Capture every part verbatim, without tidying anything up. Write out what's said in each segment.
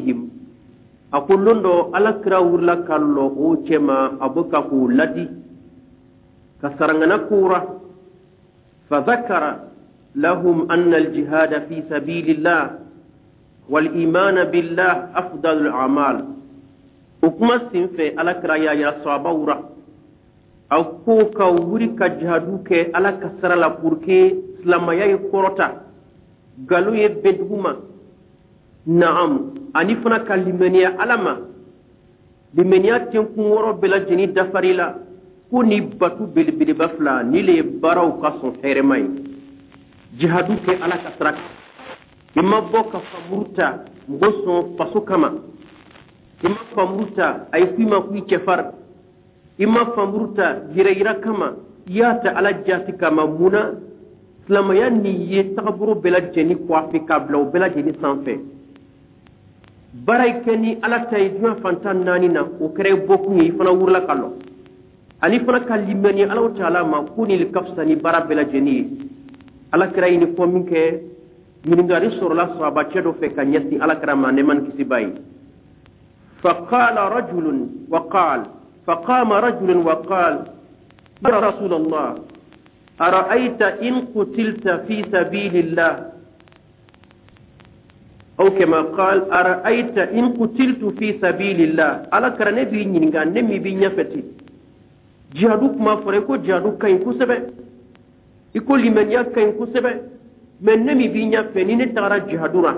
فيهم. A ko lon dɔ, Ala kira wurila ka lɔ o cɛma, a bɛ ka k'u ladi ka sarangana kura. فذكر لهم أن الجهاد في سبيل الله والإيمان بالله أفضل الأعمال. O kuma senfɛ, Ala kira y'a yira sahabaw ra, a ko ka wuri ka jihadu kɛ Ala ka sira la pour que silamaya ye kɔrɔta, nkalon ye bɛn dugu ma, naam, ani fana ka limaniya Ala ma, limaniya tenkun wɔɔrɔ bɛɛ lajɛlen dafari la, ko ni batu belebeleba fila ni le ye baaraw ka sɔn hɛrɛma ye. Jihadu kɛ Ala ka sira kan, i ma bɔ ka famuru ta mɔgɔ sɔn faso kama, i ma famuru ta a ye f'i ma ko i cɛfari, i ma famuru ta yɛrɛ yira kama, i y'a ta Ala jaati kama. Mun na? Silamɛya nin ye tagabolo bɛɛ lajɛlen coiffer k'a bila o bɛɛ lajɛlen sanfɛ. Baara yi kɛ ni Ala ta ye diɲɛ fantan naani na, o kɛra i bɔkun ye, i fana wurila ka lɔ, ani fana ka limaniya Alahu Taala ma ko nin ka fisa ni baara bɛɛ lajɛlen ye. Ala kira ye nin fɔ min kɛ, ɲininkali sɔrɔla sahabacɛ dɔ fɛ ka ɲɛsin Ala kira ma, nɛɛma ni kisi b'a ye. فقال رجل وقال فقام رجل وقال: يا رسول الله، أرأيت إن قتلت في سبيل الله، أو كما قال: أرأيت إن قتلت في سبيل الله. Ala kira, ne b'i ɲininka, ne min b'i ɲɛfɛ ten, jihadu kuma fɔra, i ko jihadu ka ɲi kosɛbɛ, i ko limaniya ka ɲi kosɛbɛ, mais ne min b'i ɲɛfɛ, ni ne tagara jihadu la,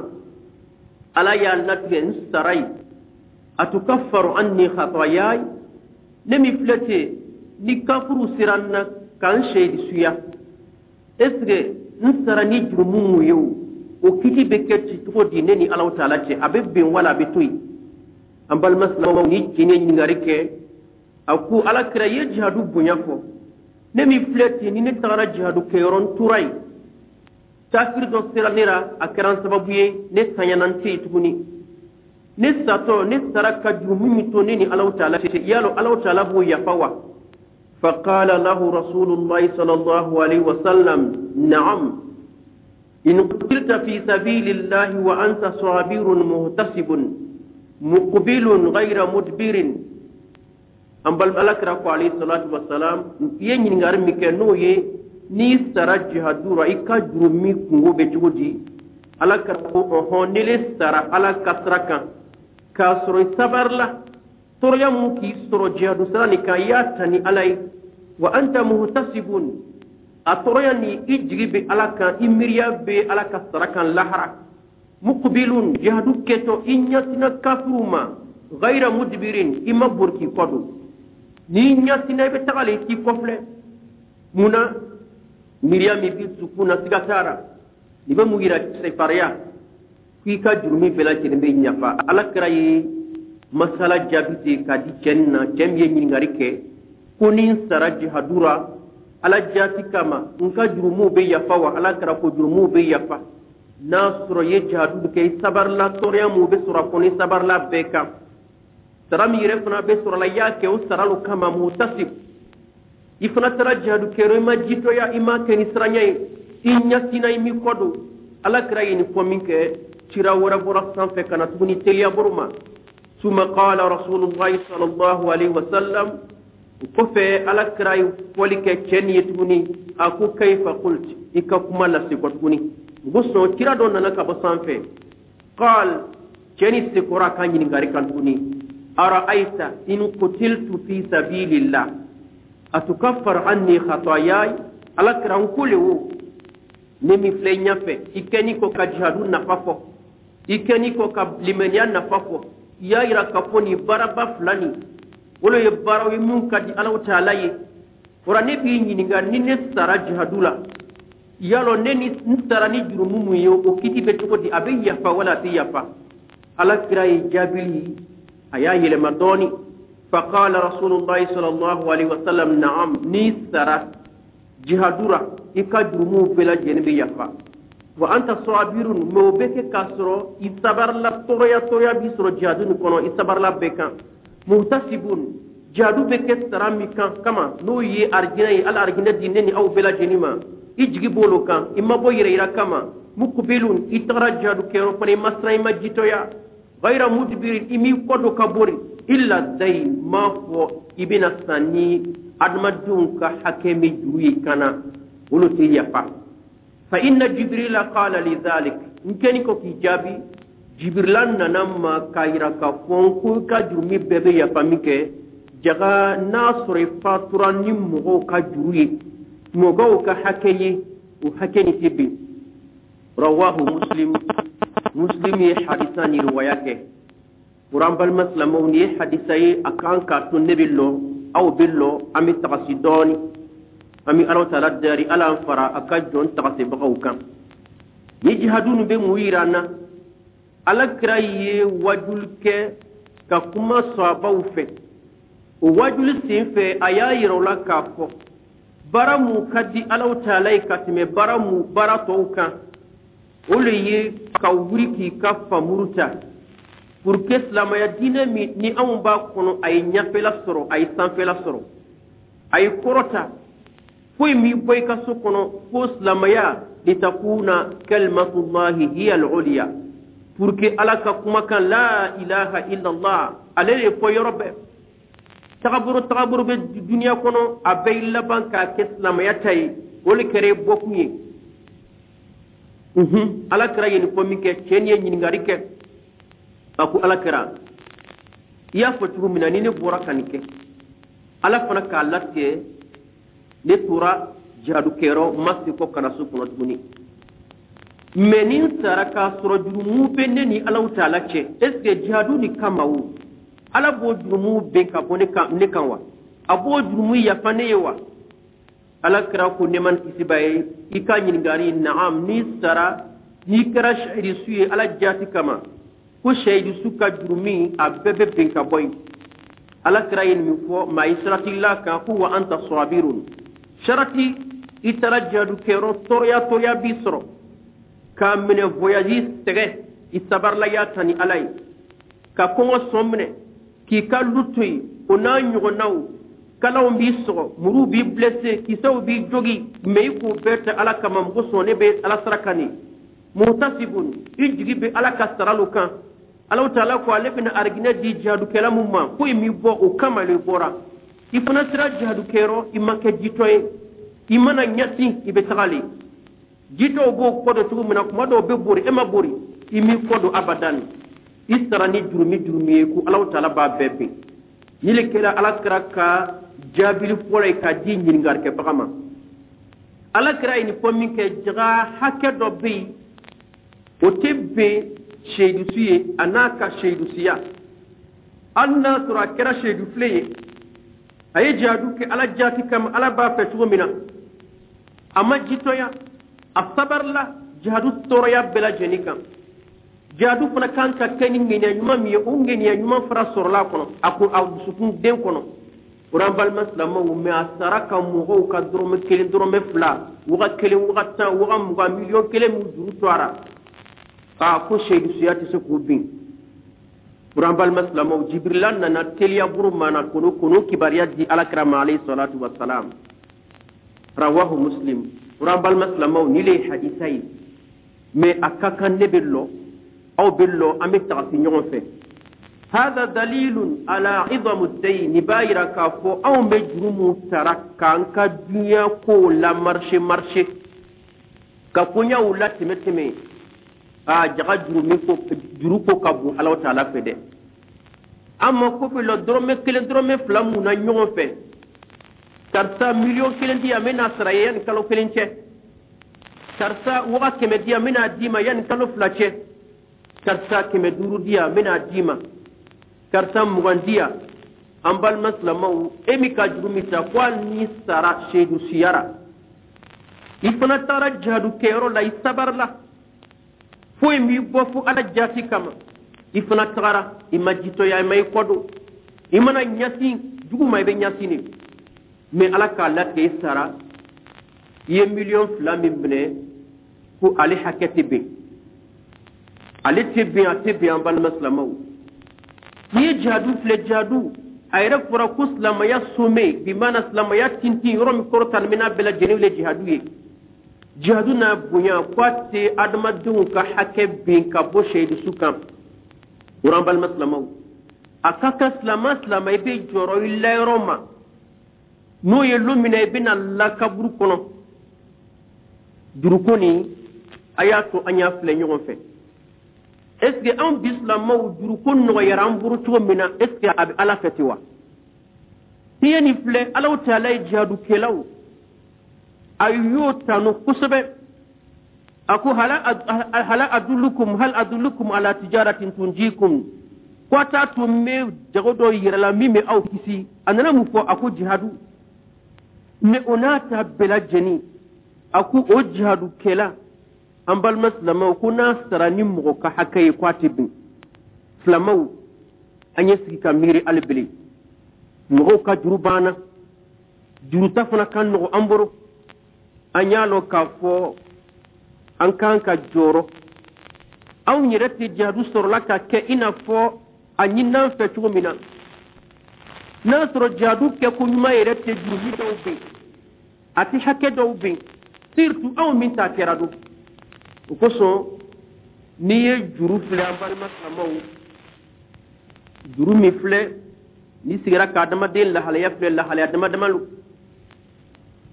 Ala y'a latigɛ n sara ye, أتكفر عني خطاياي؟ Ne min filɛ ten, ni kafuru sera n na k'an seyidi suya, est ce que n sara ni jurumu mun ye, o o kiti bɛ kɛ ci cogo di ne ni Alahu Taala cɛ? A bɛ bɛn wala a bɛ to yen? An balima silamɛw, ni cɛ ye ɲininkali kɛ, a ko: Ala kira ye jihadu bonya fɔ, ne min filɛ ten, ni ne tagara jihadu kɛyɔrɔ, n tora yen, kafiri dɔ sera ne la, a kɛra n sababu ye ne tanyana, n tɛ yen tuguni, ne satɔ, ne sara ka jurumu min to ne ni Alahu Taala cɛ, yalo Alahu Taala b'o yafa wa? فقال له رسول الله صلى الله عليه وسلم: نعم، إن قتلت في سبيل الله وأنت صابر محتسب مقبل غير مدبر. An balima, Ala kira ko عليه الصلاة والسلام, i ye ɲininkali min kɛ, n'o ye n'i sara jihadu ra, i ka jurumi kungo bɛ cogo di? Ala kira ko: ɔhɔn, ni le sara Ala ka sira kan k'a sɔrɔ i sabarila tɔɔrɔya mun k'i sɔrɔ jihadu sira nin kan, i y'a ta ni Ala ye, وأنت محتسب, a tɔɔrɔya ni i jigi bɛ Ala kan, i miiriya bɛ Ala ka sara kan lahara, مقبل, jihadu kɛtɔ i ɲɛsina kafiru ma, غير مدبر, i ma bori k'i kɔ don, n'i ɲɛsina i bɛ taga le, i t'i kɔfilɛ. Mun na? Miiriya min b'i dusukun na, siga t'a la, nin bɛ mun yira? Sefariya k'i ka jurumi bɛɛ lajɛlen bɛ ɲafa. Ala kira ye masala jaabi ten k'a di cɛ nin na, cɛ min ye ɲininkali kɛ ko ni n sara jihadu ra Ala jaati kama, n ka jurumuw bɛ yafa wa? Ala kira ko jurumuw bɛ yafa n'a sɔrɔ i ye jihadu kɛ, i sabarila tɔɔrɔya mun bɛ sɔrɔ a kɔnɔ, i sabarila bɛɛ kan, sara min yɛrɛ fana bɛ sɔrɔ la, i y'a kɛ o sara lo kama, محتسب, i fana taara jihadu kɛyɔrɔ, i ma jitɔya, i ma kɛ ni siranya ye, i ɲɛsinna, i m'i kɔ don. Ala kira ye nin fɔ min kɛ, cira wɛrɛ bɔra sanfɛ ka na tuguni teliya bolo ma. ثم قال رسول الله صلى الله عليه وسلم, o kɔfɛ Ala kira ye fɔli kɛ cɛ nin ye tuguni, a ko: كيف قلت؟ I ka kuma lase kɔ tuguni. N ko sɔn, kira dɔ nana ka bɔ sanfɛ. قال, cɛ ni sekɔrɔ a ka ɲininkali kan tuguni: أرأيت إن قتلت في سبيل الله أتكفر عني خطاياي؟ Ala kira, n ko le wo, ne min filɛ i ɲɛfɛ, i kɛni ko ka jihadu nafa fɔ, i kɛni ko ka limaniya nafa fɔ, i y'a yira k'a fɔ nin baaraba fila nin, olu ye baaraw ye mun ka di Alahu Taala ye. O ne b'i ɲininka, ni ne sara jihadu la, yalɔ ne ni n sara ni jurumu mun ye, o kiti bɛ cogo di? A bɛ yafa wala a tɛ yafa? Ala kira ye jaabili, a y'a yɛlɛma dɔɔni. فقال رسول الله صلى الله عليه وسلم: نعم, n'i sara jihadu ra, i ka jurumuw bɛɛ lajɛlen bɛ yafa, وأنت صابر, mais o bɛ kɛ k'a sɔrɔ i sabarila, tɔɔrɔya tɔɔrɔya b'i sɔrɔ jihadu nin kɔnɔ, i sabarila bɛɛ kan, محتسب, jihadu bɛ kɛ sara min kan kama, n'o ye arijinɛ ye, Ala arijinɛ di ne ni aw bɛɛ lajɛlen ma, i jigi b'olu kan, i ma bɔ yɛrɛ yira kama, مقبل, i tagara jihadu kɛyɔrɔ fana, i ma siran, i ma jitɔya, غير مدبر، i m'i kɔ don ka bori، إلا الدين، m'a fɔ i bɛna sa ni adamadenw ka hakɛ min juru ye kana olu tɛ yafa. فإن جبريل قال لي ذلك، n kɛni ko k'i jaabi, Jibirila nana ma k'a yira k'a fɔ ko i ka jurumi bɛɛ bɛ yafa min kɛ, jaga n'a sɔrɔ i fatura ni mɔgɔw ka juru ye, mɔgɔw ka hakɛ ye, o hakɛ nin tɛ bin. رواه مسلم، Muslim ye hadisa ni riwaya kɛ. O an balima silamɛw, nin ye hadisa ye a kan k'a to ne bɛ lɔ, aw bɛ lɔ, an bɛ tagasi dɔɔni. An bɛ Ala taala dari, Ala an fara a ka jɔn tagasibagaw kan. Ni jihadu nin bɛ mun yira an na? Ala kira ye wajuli kɛ ka kuma sɔhabaw fɛ. O wajuli sen fɛ, a y'a yira u la k'a fɔ baara mun ka di Alaw taala ye ka tɛmɛ baara mun baara tɔw kan, o le ye ka wuli k'i ka famuru ta pour que silamɛya diinɛ min ni anw b'a kɔnɔ, a ye ɲɛfɛla sɔrɔ, a ye sanfɛla sɔrɔ, a ye kɔrɔta. Foyi m'i bɔ i ka so kɔnɔ fo silamɛya. لتكون كلمة الله هي العليا، pour que Ala ka kumakan لا إله إلا الله, ale de fɔ yɔrɔ bɛɛ. Tagabolo tagabolo bɛ duniya kɔnɔ, a bɛɛ y'i laban k'a kɛ silamɛya ta ye. O de kɛra i bɔkun ye. Ala kira ye nin fɔ min kɛ, cɛ nin ye ɲininkali kɛ. A ko: Ala kira, i y'a fɔ cogo min na, ni ne bɔra ka nin kɛ, Ala fana k'a latigɛ ne tora jihadukɛyɔrɔ, n ma segin kɔ ka na so kɔnɔ tuguni, mɛ ni n sara k'a sɔrɔ jurumu bɛ ne ni Alaw taala cɛ, est ce que jihadu nin kama o, Ala b'o jurumu ben ka bɔ ne kan ne kan wa? A b'o jurumu yafa ne ye wa? Ala kira ko, nɛɛma ni kisi b'a ye, i ka ɲininkali, naam, n'i sara, n'i kɛra sehidisu ye Ala jaati kama, ko sehidisu ka jurumi a bɛɛ bɛ ben ka bɔ yen. Ala kira ye nin fɔ maa ye sarati la kan ko وأنت صابر, sarati i taara jihadu kɛyɔrɔ, tɔɔrɔya tɔɔrɔya b'i sɔrɔ k'a minɛ voyage sɛgɛ, i sabarila y'a ta ni Ala ye, ka kɔngɔ sɔn minɛ, k'i ka lu to yen, o n'a ɲɔgɔnnaw, kalaw b'i sɔgɔ, muruw b'i blessé, kisɛw b'i jogi, mɛ i k'o bɛɛ tɛ Ala kama. Mɔgɔ sɔn ne bɛ Ala sara kan nin محتسب, i jigi bɛ Ala ka sara kan. Alaw taala ko ale bɛna ariginɛ di jihadukɛla mun ma, foyi m'i bɔ o kama le bɔra. I fana sera jihadukɛyɔrɔ, i ma kɛ jitɔ ye, i mana ɲɛsin i bɛ taga le. Jitɔw b'o kɔ don cogo min na, kuma dɔw bɛ bori, e ma bori, i m'i kɔ don abadan. I sara ni jurumi jurumi ye, ko Alaw taala b'a bɛɛ ben. Ni le kɛra Ala kira ka jaabili fɔlɔ ye k'a di ɲininkalikɛbaga ma. Ala kira ye nin fɔ min kɛ, jaga hakɛ dɔ bɛ yen, o tɛ bɛn seyidusu ye a n'a ka seyidusiya, hali n'a sɔrɔ a kɛra seyidu filen ye, a ye jihadu kɛ Ala jaati kama, Ala b'a fɛ cogo min na, a ma jitɔya, a sabarila jihadu tɔɔrɔya bɛɛ lajɛlen kan. Jihadu fana kan ka kɛ ni ŋaniya ɲuman min ye, o ŋaniya ɲuman fana sɔrɔla a kɔnɔ, a ko a dusukun den kɔnɔ. O an balima silamɛw, mɛ a sara ka mɔgɔw ka dɔrɔmɛ kelen, dɔrɔmɛ fila, waga kelen, waga tan, waga mugan, miliyɔn kelen min juru to a ra, aa, ko seyidusuya tɛ se k'o bin. O an balima silamɛw, Jibirila nana teliya buru mana kono kono kibaruya di Alakira ma عليه الصلاة والسلام. رواه مسلم. O an balima silamɛw, ni le ye hadisa ye, mɛ a ka kan ne bɛ lɔ, aw bɛ lɔ, an bɛ tagasi ɲɔgɔn fɛ. هذا دليل على عظم الدين, nin b'a yira k'a fɔ anw bɛ juru mun sara k'an ka diɲɛ kow la marché marché, ka koɲaw la tɛmɛ tɛmɛ, aa, jaga juru min ko juru ko ka bon Ala taala fɛ dɛ. An ma ko bɛ lɔ dɔrɔmɛ kelen, dɔrɔmɛ fila mun na ɲɔgɔn fɛ. Karisa, miliyɔn kelen di yan, n bɛna sara ye yanni kalo kelen cɛ. Karisa, waga kɛmɛ di yan, n bɛna d'i ma yanni kalo fila cɛ. Karisa, kɛmɛ duuru di yan, n bɛna d'i ma. Karisa, mugan di yan. An balima silamɛw, e min ka juru min ta, ko hali n'i sara seyidu siyara, i fana taara jihadu kɛyɔrɔ la, i sabarila, foyi m'i bɔ fo Ala jaati kama, i fana tagara, i ma jitɔya, i ma i kɔ don, i mana ɲɛsin jugu ma, i bɛ ɲɛsin de, mɛ Ala k'a latigɛ i sara, i ye miliyɔn fila min minɛ, ko ale hakɛ tɛ bɛn, ale tɛ bɛn, a tɛ bɛn. An balima silamɛw, n'i ye jihadu filɛ, jihadu a yɛrɛ fɔra ko silamɛya sommet bi maana, silamɛya tintin yɔrɔ min kɔrɔta ni n'a bɛɛ lajɛlen le jihadu ye. Jihadu n'a bonya, ko a tɛ adamadenw ka hakɛ bin ka bɔ seyidusu kan. O rɔ, an balima silamaw, a ka kan silama silama i bɛ jɔrɔ i layɔrɔ ma, n'o ye lon min na i bɛna la kaburu kɔnɔ. Juruko nin, a y'a to an y'a filɛ ɲɔgɔn fɛ. Est ce que anw bi silamaw, juruko nɔgɔyara an bolo cogo min na, est ce que a bɛ Ala fɛ ten wa? N'i ye nin filɛ, Alaw Taala ye jihadukɛlaw, a y'o tanu kosɛbɛ. A ko: hala adullukum hal adullukum ala tijaratin tunjikum? Ko a t'a to n bɛ jago dɔ yɛrɛ la min bɛ aw kisi. A nana mun fɔ? A ko jihadu. Mais o n'a ta bɛɛ lajɛlen, a ko o jihadukɛla, an balima silamaw, ko n'a sara ni mɔgɔ ka hakɛ ye, ko a tɛ bin. Silamaw, an ye sigi ka miiri hali bele. Mɔgɔw ka juru banna, juruta fana ka nɔgɔ an bolo. An y'a lɔn k'a fɔ an kan ka jɔrɔ, anw yɛrɛ tɛ jihadu sɔrɔla ka kɛ i n'a fɔ a ɲin'an fɛ cogo min na. N'a sɔrɔ jihadu kɛko ɲuman yɛrɛ tɛ jurumi dɔw ben, a tɛ hakɛ dɔw ben, surtout anw min ta kɛra don o kosɔn. N'i ye juru filɛ, an balima silamaw, juru min filɛ, n'i sigira ka adamaden lahalaya filɛ, lahalaya dama dama lo,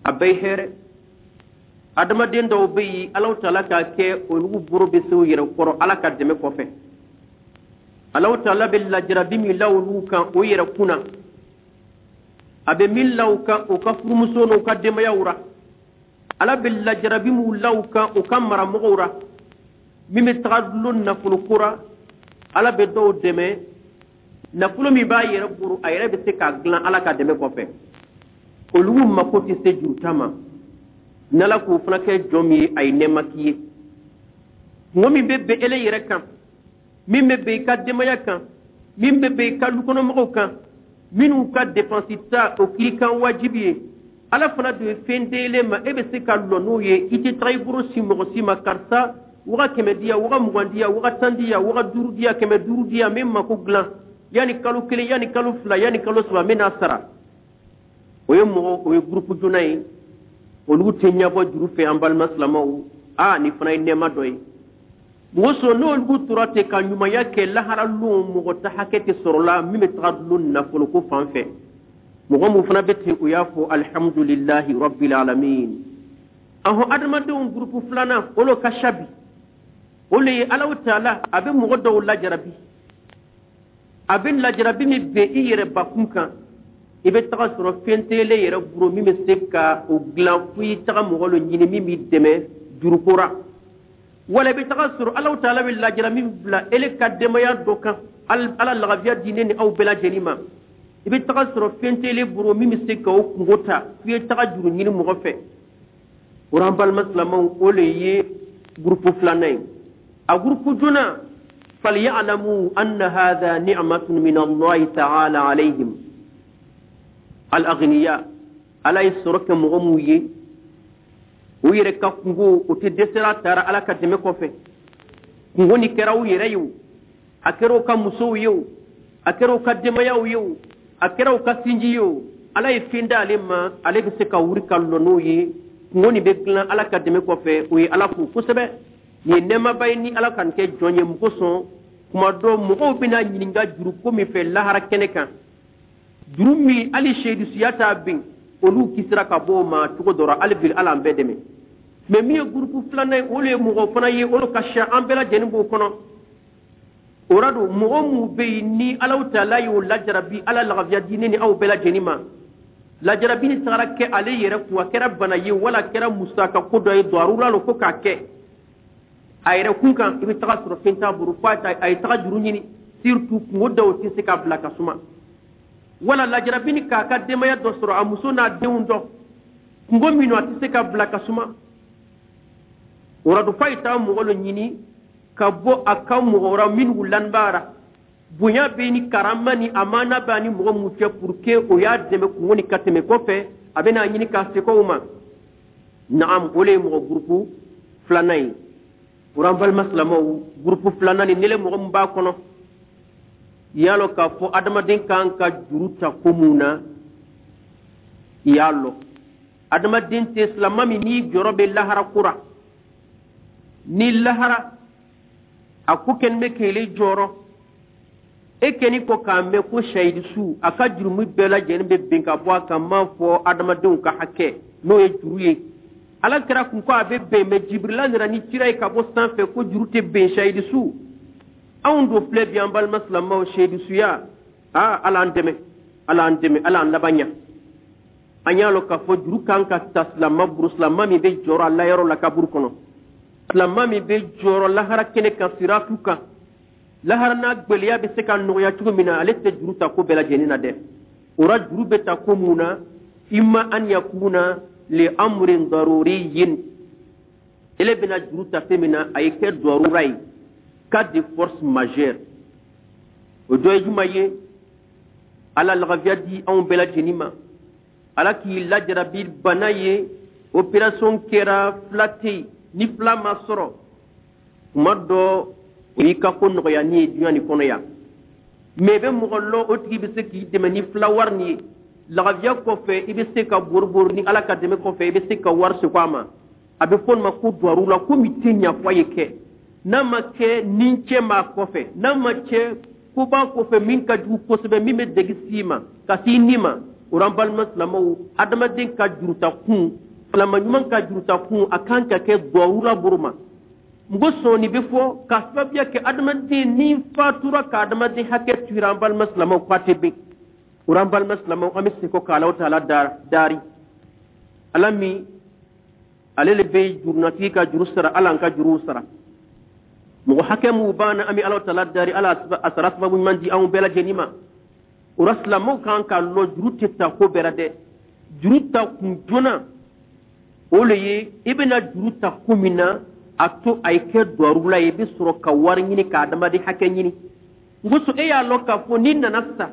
a bɛɛ ye hɛrɛ. Adamaden dɔw bɛ yen, Alaw Taala k'a kɛ olu boro bɛ se u yɛrɛ kɔrɔ Ala ka dɛmɛ kɔfɛ. Alaw Taala bɛ lajarabi min la olu kan o yɛrɛ kunna, a bɛ min la u kan u ka furumuso n'u ka denbayaw ra, Ala bɛ lajarabi min la u kan u ka maramɔgɔw ra, min bɛ taga dulon nafolo ko ra. Ala bɛ dɔw dɛmɛ, nafolo min b'a yɛrɛ bolo, a yɛrɛ bɛ se k'a dilan Ala ka dɛmɛ kɔfɛ. Olu mako tɛ se juruta ma. N'Ala k'o fana kɛ jɔn min ye, a ye nɛɛma k'i ye. Kungo min bɛ bɛn ele yɛrɛ kan, min bɛ bɛn i ka denbaya kan, min bɛ bɛn i ka lukɔnɔmɔgɔw kan, minnu ka dépense ta o kiri kan wajibi ye, Ala fana dun ye fɛn d'ele ma, e bɛ se ka lɔ n'o ye. I tɛ taga i bolo si mɔgɔ si ma: karisa, waga kɛmɛ diya, waga mugan diya, waga tan diya, waga duuru diya, kɛmɛ duuru diya, n bɛ mako dilan yanni kalo kelen, yanni kalo fila, yanni kalo saba, n bɛ n'a sara. O ye mɔgɔ, o ye groupe joona ye, olu tɛ ɲɛbɔ juru fɛ. An balima silamaw, aa, nin fana ye nɛɛma dɔ ye. Mɔgɔ sɔrɔ n'olu tora ten ka ɲumanya kɛ, lahara lon mɔgɔ ta hakɛ tɛ sɔrɔ la min bɛ taga dulon nafolo ko fan fɛ. Mɔgɔ mun fana bɛ ten, o y'a fɔ: alhamdulilahi rabbil alamin. Ahɔn, adamadenw groupe filanan, olu ka sabi, o le ye Alaw Taala a bɛ mɔgɔ dɔw lajarabi. A bɛ lajarabi min bɛn i yɛrɛ bakun kan, i bɛ taga sɔrɔ fɛn tɛ yɛrɛ bolo min bɛ se ka o dilan, fo i taga mɔgɔ dɔ ɲini min b'i dɛmɛ juruko ra. Wala i bɛ taga sɔrɔ Alaw Taala bɛ lajara min bila ele ka denbaya dɔ kan, Ala lagafiya di ne ni aw bɛɛ lajɛlen ma, i bɛ taga sɔrɔ fɛn tɛ ele bolo min bɛ se ka o kungo ta, f'i ye taga juru ɲini mɔgɔ fɛ. O an balima silamɛw, o le ye groupe filanan ye. A groupe joona, falya'lamu anna hadha ni'matun min Allah ta'ala alayhim. Al-aghniya, Ala ye sɔrɔ kɛ mɔgɔ mun ye, u yɛrɛ ka kungo o tɛ dɛsɛra taara Ala ka dɛmɛ kɔfɛ. Kungo ni kɛra u yɛrɛ ye o, a kɛra u ka musow ye o, a kɛra u ka denbayaw ye o, a kɛra u ka sinji ye o, Ala ye fɛn d'ale ma, ale bɛ se ka wuli ka lɔ n'o ye. Kungo nin bɛ dilan Ala ka dɛmɛ kɔfɛ, o ye Ala fo kosɛbɛ. Nin ye nɛɛmaba ye ni Ala ka nin kɛ jɔn ye. Mun kosɔn? Kuma dɔ, mɔgɔw bɛna ɲininka juru ko min fɛ lahara kɛnɛ kan, juru min hali seyidusiya t'a bin, olu kisira ka bɔ o ma cogo dɔ la. Hali bi, Ala an bɛɛ dɛmɛ. Mais min ye groupe filanan ye, olu ye mɔgɔ fana ye, olu ka siya, an bɛɛ lajɛlen b'o kɔnɔ. O ra don, mɔgɔ mun bɛ yen ni Alaw Taala y'o lajarabi, Ala lagafiya di ne ni aw bɛɛ lajɛlen ma, lajarabi ni tagara kɛ ale yɛrɛ kun, a kɛra bana ye wala a kɛra musaka ko dɔ ye, darura lo fo k'a kɛ a yɛrɛ kun kan, i bɛ taga sɔrɔ fɛn t'a bolo fo a ye taga juru ɲini. Surtout kungo dɔw tɛ se ka bila ka suma, wala lajarabi ni k'a ka denbaya dɔ sɔrɔ, a muso n'a denw dɔ, kungo min a tɛ se ka bila ka suma. O la don, f'a ye taa mɔgɔ dɔ ɲini ka bɔ a ka mɔgɔ wɛrɛ minnu lanbaara, bonya bɛ ni karama ni amana b'a ni mɔgɔ mun cɛ, pour que o y'a dɛmɛ kungo ni ka tɛmɛ kɔfɛ, a bɛna ɲini k'a se o ma. Naam, o le ye mɔgɔ groupe filanan ye. O an balima silamɛw, groupe filanan ni nele, mɔgɔ min b'a kɔnɔ, i y'a lɔn k'a fɔ adamaden kan ka juru ta ko mun na. I y'a lɔn, adamaden tɛ silama min n'i jɔrɔ bɛ lahara ko ra, ni lahara a ko kɛlen bɛ k'ele jɔrɔ. E kɛni kɔ k'a mɛn ko sahidi su, a ka jurumu bɛɛ lajɛlen bɛ bin ka bɔ a kan, m'a fɔ adamadenw ka hakɛ, n'o ye juru ye. Ala kɛra kun ko a bɛ bɛn, mɛ Jibirila nana ni cira ye ka bɔ sanfɛ ko juru tɛ bɛn sahidi su. Anw do filɛ bi, an balima silamɛw, sahidi suya, aa, Ala an dɛmɛ, Ala an dɛmɛ, Ala an laban ɲa. An y'a lɔn k'a fɔ juru kan ka ta silama buru, silama min bɛ jɔrɔ a layɔrɔ la kaburu kɔnɔ, silama min bɛ jɔrɔ lahara kɛnɛ kan, siratu kan, lahara n'a gwɛlɛya bɛ se ka nɔgɔya cogo min na, ale tɛ juru ta ko bɛɛ lajɛlen na dɛ. O la, juru bɛ ta ko mun na? Imma an yakuna li amrin daruriyin, ele bɛna juru ta fɛn min na, a ye kɛ darura ye, cas de force majeure. O dɔ ye jumɛn ye? Ala lagafiya di anw bɛɛ lajɛlen ma. Ala k'i lajarabi bana ye, opération kɛra, fila tɛ yen. Ni fila ma sɔrɔ, kuma dɔ o y'i ka ko nɔgɔya ni ye duɲa nin kɔnɔ yan, mɛ i bɛ mɔgɔ lɔ, o tigi bɛ se k'i dɛmɛ ni fila wari nin ye. Lagafiya kɔfɛ, i bɛ se ka boribori ni Ala ka dɛmɛ kɔfɛ, i bɛ se ka wari segin a ma. A bɛ fɔ nin ma ko duwaru la, ko min tɛ ɲa fɔ a ye kɛ n'a ma kɛ ni cɛ m'a kɔfɛ, n'a ma cɛ ko b'a kɔfɛ min ka jugu kosɛbɛ, min bɛ degi s'i ma ka s'i ni ma. O la, an balima silamɛw, adamaden ka juruta kun, silama ɲuman ka juruta kun, a kan ka kɛ duwawu boro ma. N ko sɔnni bɛ fɔ ka sababuya kɛ adamaden ni fatura ka adamaden hakɛ tuira. An balima silamɛw, k'a tɛ bɛn o la. An balima silamɛw, an bɛ segin ka Alahu taala daari, Ala min ale le bɛ jurunatigi ka juru sara, Ala an ka juruw sara. Mɔgɔ hakɛ mun b'an na, an bɛ Alahu taala daari, Ala a sara sababu ɲuman di anw bɛɛ lajɛlen ma. O la, silamɛw kan k'a lɔn, juru tɛ ta ko bɛɛ la dɛ. Juru ta kun joona, o le ye i bɛna juru ta ko min na, a to a ye kɛ duwarula ye, i bɛ sɔrɔ ka wari ɲini ka adamaden hakɛ ɲini. N ko so, e y'a lɔn k'a fɔ n'i nana sa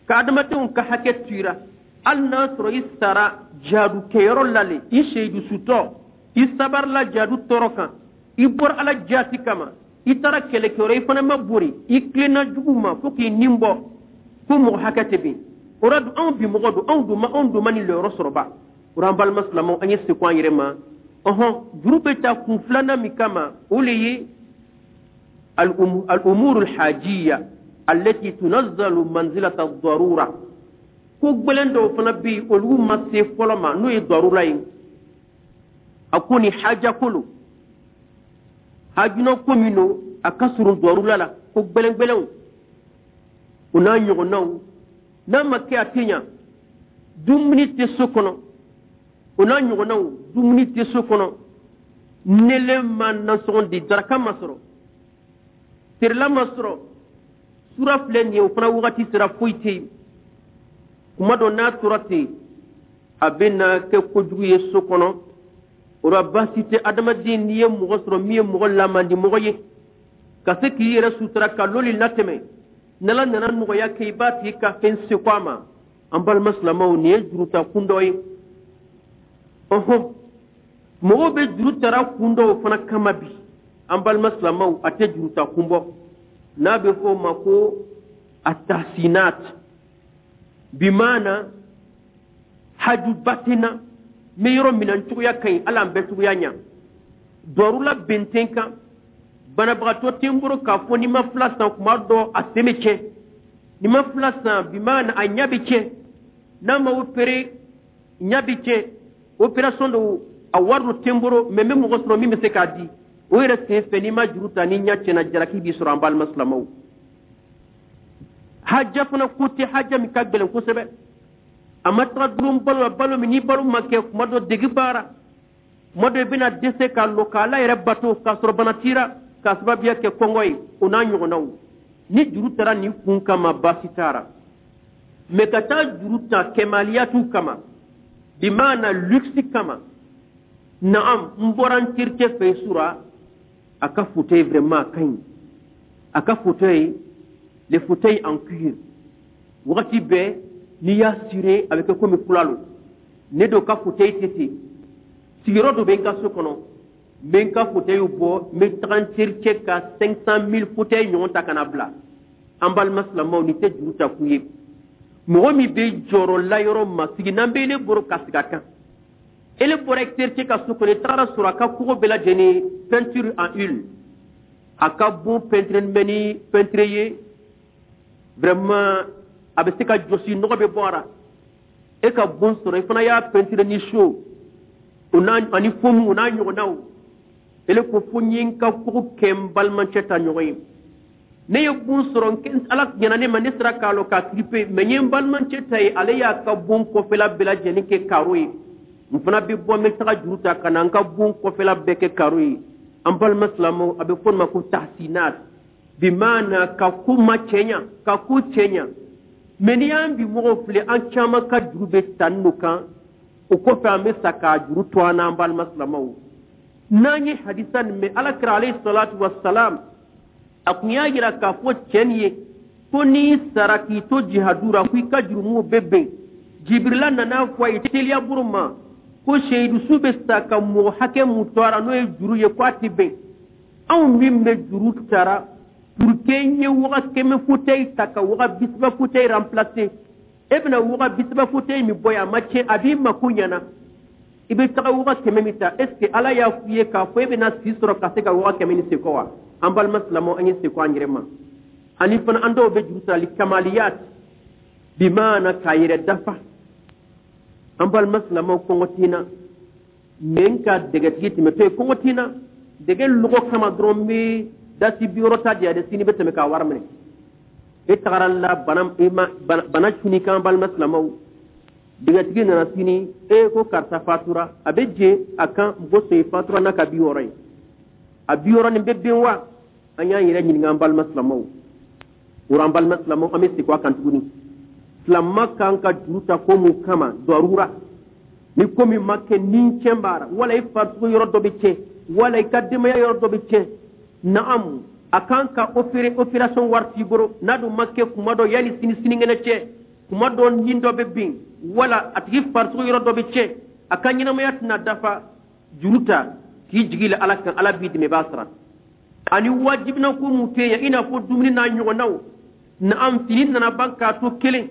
ka adamadenw ka hakɛ tuira, hali n'a sɔrɔ i sara jihadu kɛyɔrɔ la le, i seyidu sutɔ, i sabarila jihadu tɔɔrɔ kan, i bɔra Ala jaati kama, i taara kɛlɛkɛyɔrɔ, i fana ma bori, i tilenna jugu ma fo k'i nin bɔ, ko mɔgɔ hakɛ tɛ bin o la dun. Anw bi mɔgɔ don, anw dun ma, anw dun ma nin lɔyɔrɔ sɔrɔ ba o la. An balima silamɛw, an ye seko an yɛrɛ ma. Ɔhɔn, juru bɛ ta kun filanan min kama, o le ye al-umuru al-hajiya allati tunazzalu manzilata ad-darura. Ko gbɛlɛn dɔw fana bɛ yen, olu ma se fɔlɔ ma, n'o ye darura ye. A ko ni haja ko lo, hajuna ko min don, a ka surun darura la, ko gbɛlɛn gbɛlɛnw, o n'a ɲɔgɔnnaw, n'a ma kɛ a tɛ ɲa. Dumuni tɛ so kɔnɔ, o n'a ɲɔgɔnnaw, dumuni tɛ so kɔnɔ, nelen ma nasɔngɔ di, daraka ma sɔrɔ, terila ma sɔrɔ, sura filɛ nin ye, o fana wagati sera, foyi tɛ yen. Kuma dɔ n'a tora ten, a bɛ na kɛ kojugu ye so kɔnɔ. O la, baasi tɛ adamaden, n'i ye mɔgɔ sɔrɔ min ye mɔgɔ lamandi mɔgɔ ye, ka se k'i yɛrɛ sutura ka loli latɛmɛ, n'Ala nana nɔgɔya kɛ, i b'a tigi ka fɛn seko a ma. An balima silamɛw, nin ye juruta kun dɔ ye. Ɔhɔn, mɔgɔw bɛ juru tara kun dɔw fana kama bi, an balima silamɛw, a tɛ juruta kun bɔ, n'a bɛ fɔ o ma ko atahsinat, bimaana hajuba tɛ n na, n bɛ yɔrɔ min na, n cogoya ka ɲi, Ala an bɛɛ cogoya ɲa, dɔrula bɛn tɛ n kan, banabagatɔ tɛ n bolo k'a fɔ n'i ma fila san, kuma dɔ a sen bɛ tiɲɛ, n'i ma fila san, bimaana a ɲɛ bɛ tiɲɛ, n'a ma opéré ɲɛ bɛ tiɲɛ, opération dɔw a wari dɔ tɛ n bolo, mɛ n bɛ mɔgɔ sɔrɔ min bɛ se k'a di. O yɛrɛ sen fɛ, n'i ma juru ta, ni ɲɛ tiɲɛna, jalaki b'i sɔrɔ. An balima silamɛw, haja fana ko tɛ, haja min ka gɛlɛn kosɛbɛ, a ma taga dulon balo la, balo min ni balo ma kɛ, kuma dɔ degi baara, kuma dɔ i bɛna dɛsɛ k'a lɔ k'Ala yɛrɛ bato k'a sɔrɔ bana t'i ra, k'a sababuya kɛ kɔngɔ ye, o n'a ɲɔgɔnnaw. Ni juru taara nin kun kama, baasi t'a mɛ ka taa juru ta kɛmaliyatu kama, bimaana luxe kama. Naam, n bɔra n terikɛ fɛ sura, a ka fauteuil vraiment a ka ɲi, a ka fauteuil, les fauteuils en cuir, wagati bɛɛ n'i y'a sire, a bɛ kɛ komi kula lo. Ne do ka fauteuil tɛ ten, sigiyɔrɔ dɔ bɛ n ka so kɔnɔ, n bɛ n ka fauteuil bɔ, n bɛ taga n terikɛ ka cinq cent mille fauteuil ɲɔgɔn ta ka na bila. An balima silamɛw, nin tɛ juru ta kun ye. Mɔgɔ min bɛ jɔyɔrɔ la yɔrɔ ma sigi n'an bɛ ele bolo ka sigi a kan, ele bɔra terikɛ ka so kɔnɔ, i tagara sɔrɔ a ka kogo bɛɛ lajɛlen peinture en huile, a ka bon peinture bɛ ni peinture ye. Vraiment, a bɛ se ka jɔsi, nɔgɔ bɛ bɔ a la. E ka bon sɔrɔ, i fana y'a peinture ni chaux o n'a ani fomu o n'a ɲɔgɔnnaw. Ele ko fo n ye n ka kogo kɛ n balimacɛ ta ɲɔgɔn ye. Ne ye bon sɔrɔ, Ala ɲɛna ne ma, ne sera k'a lɔ k'a triper, mais n ye n balimacɛ ta ye, ale y'a ka bon kɔfɛla bɛɛ lajɛlen kɛ carreau ye. N fana bɛ bɔ, n bɛ taga juru ta ka na n ka bon kɔfɛla bɛɛ kɛ carreau ye. An balima silamɛw, a bɛ fɔ nin ma ko tahsinat, bimaana ka ko ma cɛɲa, ka ko cɛɲa. Mais n'i y'an bi mɔgɔw filɛ, an caman ka juru bɛ ta n'o kan. O kɔfɛ, an bɛ sa k'a juru to an n'an balima silamɛw. N'an ye hadisa nin mɛn, Ala kira alayhi salatu wa salam, a kun y'a yira k'a fɔ cɛ nin ye ko n'i sara k'i to jihadu ra, ko i ka jurumuw bɛ bɛn. Jibirila nana fɔ a ye teliya bolo ma ko seyidusu bɛ sa ka mɔgɔ hakɛ mun to a la, n'o ye juru ye, ko a tɛ bɛn. Anw min bɛ juru tara pour que n ye waga kɛmɛ fauteuil ta ka waga bisaba fauteuil remplacer, e bɛna waga bisaba fauteuil min bɔ yen, a ma tiɲɛ, a b'i mako ɲɛna, i bɛ taga waga kɛmɛ min ta, est ce que Ala y'a f'i ye k'a fɔ e bɛna si sɔrɔ ka se ka waga kɛmɛ ni sekɔ wa? An balima silamɛw, an ye sekɔ an yɛrɛ ma. Ani fana, an dɔw bɛ juru sarali kamaliyat, bimaana k'a yɛrɛ dafa. An balima silamɛw, kɔngɔ tɛ na mɛ n ka dɛgɛtigi tɛmɛtɔ ye, kɔngɔ tɛ na, dɛgɛ lɔgɔ kama dɔrɔn n bɛ dasi bi wɔɔrɔ ta di yan dɛ, sini bɛ tɛmɛ k'a wari minɛ. E tagara la bana, e ma bana cuni kan. Balima silamɛw, dɛgɛtigi nana sini, e ko karisa fatura, a bɛ je a kan mɔgɔ sɔn fatura n'a ka bi wɔɔrɔ ye, a bi wɔɔrɔ nin bɛ ben wa? An y'an yɛrɛ ɲininka, an balima silamɛw. O an balima silamɛw, an bɛ segin a kan tuguni. Silama kan ka juru ta ko mun kama? Dɔrura ni ko min ma kɛ ni tiɲɛ b'a la, wala i farisogo yɔrɔ dɔ bɛ tiɲɛ, wala i ka denbaya yɔrɔ dɔ bɛ tiɲɛ. Naam, a kan ka opérer, opération wari t'i bolo, n'a dun ma kɛ kuma dɔ yanni sini sinikɛnɛ cɛ, kuma dɔ ɲin dɔ bɛ bin, wala a tigi farisogo yɔrɔ dɔ bɛ tiɲɛ, a ka ɲɛnamaya tɛna dafa. Juru ta k'i jigi la Ala kan, Ala b'i dɛmɛ, i b'a sara. Ani wajibina ko mun tɛ yen, i n'a fɔ dumuni n'a ɲɔgɔnnaw. Naam, fini nana ban k'a to kelen,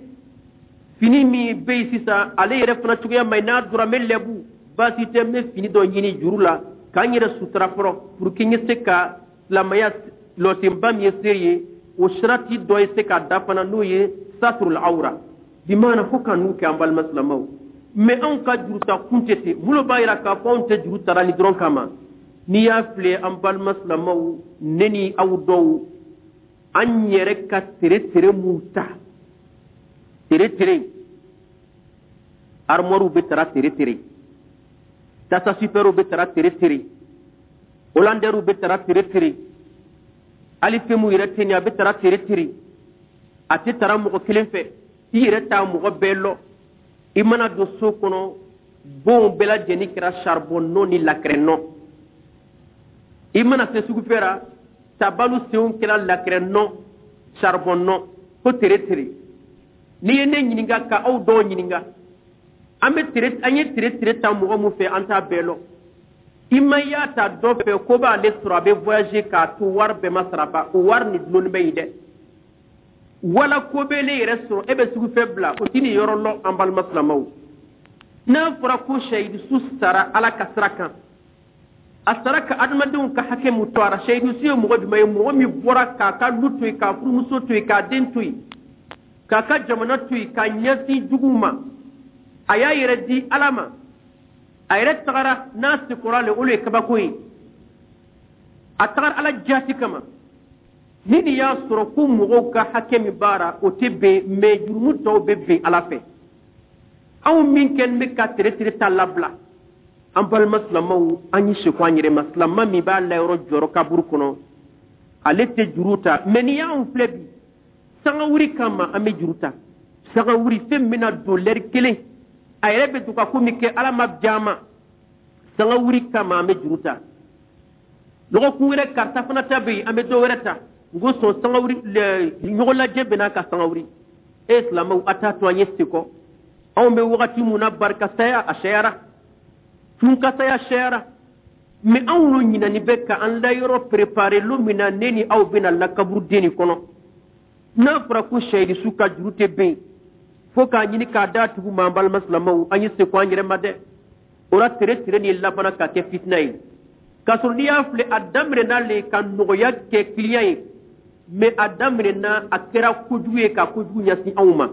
fini min bɛ yen sisan, ale yɛrɛ fana cogoya ma ɲi, n'a donna n bɛ lɛbu, baasi tɛ, n bɛ fini dɔ ɲini juru la k'an yɛrɛ sutura fɔlɔ pour que n ye se ka silamɛya lɔsenba min ye se ye, o sirati dɔ ye se ka da fana, n'o ye saturul awra, bimaana fo ka n'u kɛ. An balima silamɛw, mais anw ka juruta kun tɛ ten. Minnu b'a yira k'a fɔ anw tɛ juru tara ni dɔrɔn kama, n'i y'a filɛ, an balima silamɛw, ne ni aw dɔw, an yɛrɛ ka tere tere mun ta, tere tere armoire bɛ tara, tere tere tasa superw bɛ tara, tere tere hollandairew bɛ tara, tere tere hali fɛn mun yɛrɛ tɛ nin, a bɛ tara tere tere. A tɛ tara mɔgɔ kelen fɛ, i yɛrɛ t'a mɔgɔ bɛɛ lɔ. I mana don so kɔnɔ, bonw bɛɛ lajɛlen kɛra charbon nɔ ni lakɛrɛ nɔ. I mana se sugufɛ ra, tabalu senw kɛra lakɛrɛ nɔ, charbon nɔ, ko tere tere. N'i ye ne ɲininka, ka aw dɔw ɲininka, an bɛ tere, an ye tere tere ta mɔgɔ mun fɛ, an t'a bɛɛ lɔ. I ma y'a ta dɔ fɛ ko b'ale sɔrɔ, a bɛ voyager k'a to wari bɛɛ ma sara ba, o wari ni dulonnen bɛ yen dɛ. Wala ko bɛ ne yɛrɛ sɔrɔ, e bɛ sugufɛ bila, o ti nin yɔrɔ lɔ. An balima silamɛw, n'a fɔra ko seyidusu sara Ala ka sira kan, a sara ka adamadenw ka hakɛ mun to a la, seyidusu ye mɔgɔ jumɛn ye? Mɔgɔ min bɔra k'a ka lu to yen, k'a furumuso to yen, k'a den to yen, k'a ka jamana to yen, k'a ɲɛsin juguw ma, a y'a yɛrɛ di Ala ma, a yɛrɛ tagara n'a sekɔrɔ le, o le ye kabako ye. A tagara Ala jaati kama. Ni nin y'a sɔrɔ ko mɔgɔw ka hakɛ min b'a o tɛ bɛn, mais jurumu tɔw bɛ bɛn Ala fɛ. Anw min kɛlen bɛ ka tere tere ta labila, an balima silamɛw, an ye seko an yɛrɛ ma. Silama min b'a layɔrɔ jɔyɔrɔ kaburu kɔnɔ, ale tɛ juru ta. Mais n'i y'anw filɛ bi, sangawuri kama an bɛ juru ta. Sangawuri, fɛn min bɛna don lɛri kelen, a yɛrɛ bɛ to ka ko min kɛ, Ala ma diya ma, sangawuri kama an bɛ juru ta. Lɔgɔkun wɛrɛ, karisa fana ta bɛ yen, an bɛ dɔ wɛrɛ ta. N ko sɔn sangawuri, ɲɔgɔn lajɛ bɛ n'a ka sangawuri. E silamɛw, a t'a to an ye sekɔ. Anw bɛ wagati mun na, barikasaya a sɛyara, tunkasaya sɛyara, mais anw n'o ɲinani bɛ ka an layɔrɔ préparer lon min na ne ni aw bɛna lakaburuden nin kɔnɔ. N'a fɔra ko seyidusu ka juru tɛ bɛn fo k'a ɲini k'a d'a tugu ma, an balima silamɛw, an ye seko an yɛrɛ ma dɛ. O la, tere tere nin labanna ka kɛ fitina ye, k'a sɔrɔ n'i y'a filɛ, a daminɛ n'ale ka nɔgɔya kɛ client ye. Mais a daminɛna, a kɛra kojugu ye ka kojugu ɲɛsin anw ma.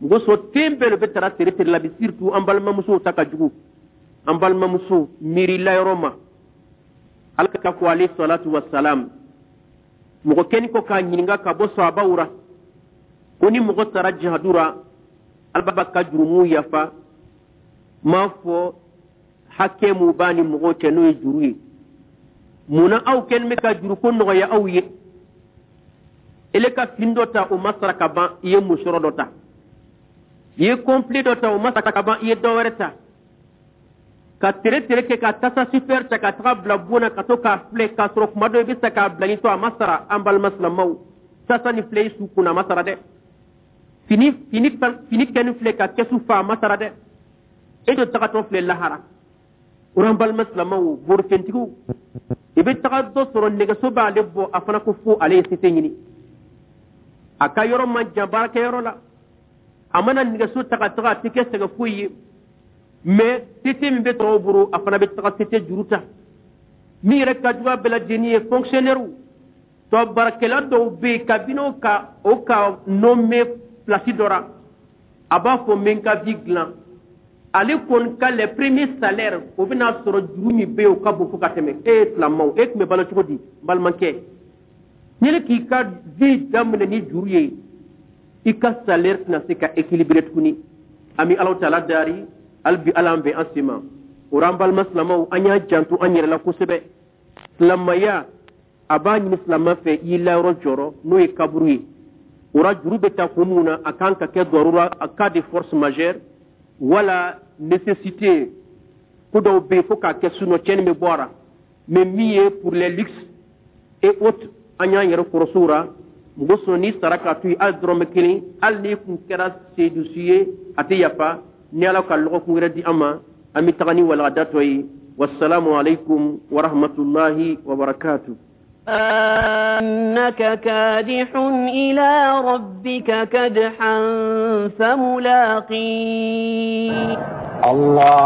Mɔgɔ sɔrɔ ten bɛɛ de bɛ tara tere tere la bi, surtout an balimamusow ta ka jugu. An balimamuso miirila yɔrɔ ma, Ala ka ko alayhi salatu wasalam, mɔgɔ kɛni ko k'a ɲininka ka bɔ sahabaw ra ko ni mɔgɔ taara jihadu ra, Ala b'a ka jurumu yafa, m'a fɔ hakɛ mun b'a ni mɔgɔw cɛ, n'o ye juru ye. Munna aw kɛlen bɛ ka juruko nɔgɔya aw ye? Ele ka fini dɔ ta, o ma sara ka ban, i ye musɔrɔ dɔ ta. I ye complet dɔ ta, o ma sara ka ban, i ye dɔ wɛrɛ ta. Ka tere tere kɛ ka tasa super ta ka taga bila bon na ka to k'a filɛ, k'a sɔrɔ kuma dɔ i bɛ se k'a bila ni to a ma sara. An balima silamɛw, tasa ni filɛ i su kunna, a ma sara dɛ. Fini fini fini kɛni filɛ ka kɛsu fa, a ma sara dɛ. E de tagatɔ filɛ lahara. O an balima silamɛw, borifɛntigiw, i bɛ taga dɔ sɔrɔ nɛgɛso b'ale bɔ, a fana ko fo ale ye sete ɲini. A ka yɔrɔ man jan baarakɛyɔrɔ la, a mana nɛgɛso ta ka taga, a tɛ kɛ sɛgɛ foyi ye. Mais sete min bɛ tɔw bolo, a fana bɛ taga sete juru ta. Min yɛrɛ ka jugu a bɛɛ lajɛlen ye, fonctionnaire tɔ baarakɛla dɔw bɛ yen, kabini o ka o ka nommé place dɔ la, a b'a fɔ n bɛ n ka vie dilan. Ale kɔni ka les premiers salaires, o bɛna sɔrɔ juru min bɛ yen, o ka bon fo ka tɛmɛ. E ye silamɛw, e tun bɛ balo cogo di? N balimakɛ, ni k'i ka vie daminɛ ni juru ye, i ka salaire tɛna se ka équilibrer tuguni. An bɛ Alahu taala dari hali bi, Ala an bɛn an sen ma. O la, an balima silamɛw, an y'an janto an yɛrɛ la kosɛbɛ. Silamɛya a b'a ɲini silamɛ fɛ i y'i layɔrɔ jɔrɔ, n'o ye kaburu ye. O la, juru bɛ ta kun mun na? A kan ka kɛ darura, en cas de force majeure wala nécessité. Ko dɔw bɛ yen fo k'a kɛ, sinon tiɲɛni bɛ bɔ a la. Mais min ye pour les luxes et autres, an y'an yɛrɛ kɔrɔsiw la. Mɔgɔ sɔn n'i sara k'a to yen hali dɔrɔmɛ kelen, hali n'i kun kɛra sedusu ye, a tɛ yafa. Ni Ala ka lɔgɔkun wɛrɛ di an ma, an bɛ taga ni walagada tɔ ye. Wasalamu aleykum wa rahmatulahi wa barakatuh. أنك كادح إلى ربك كدحا فملاقيه. الله.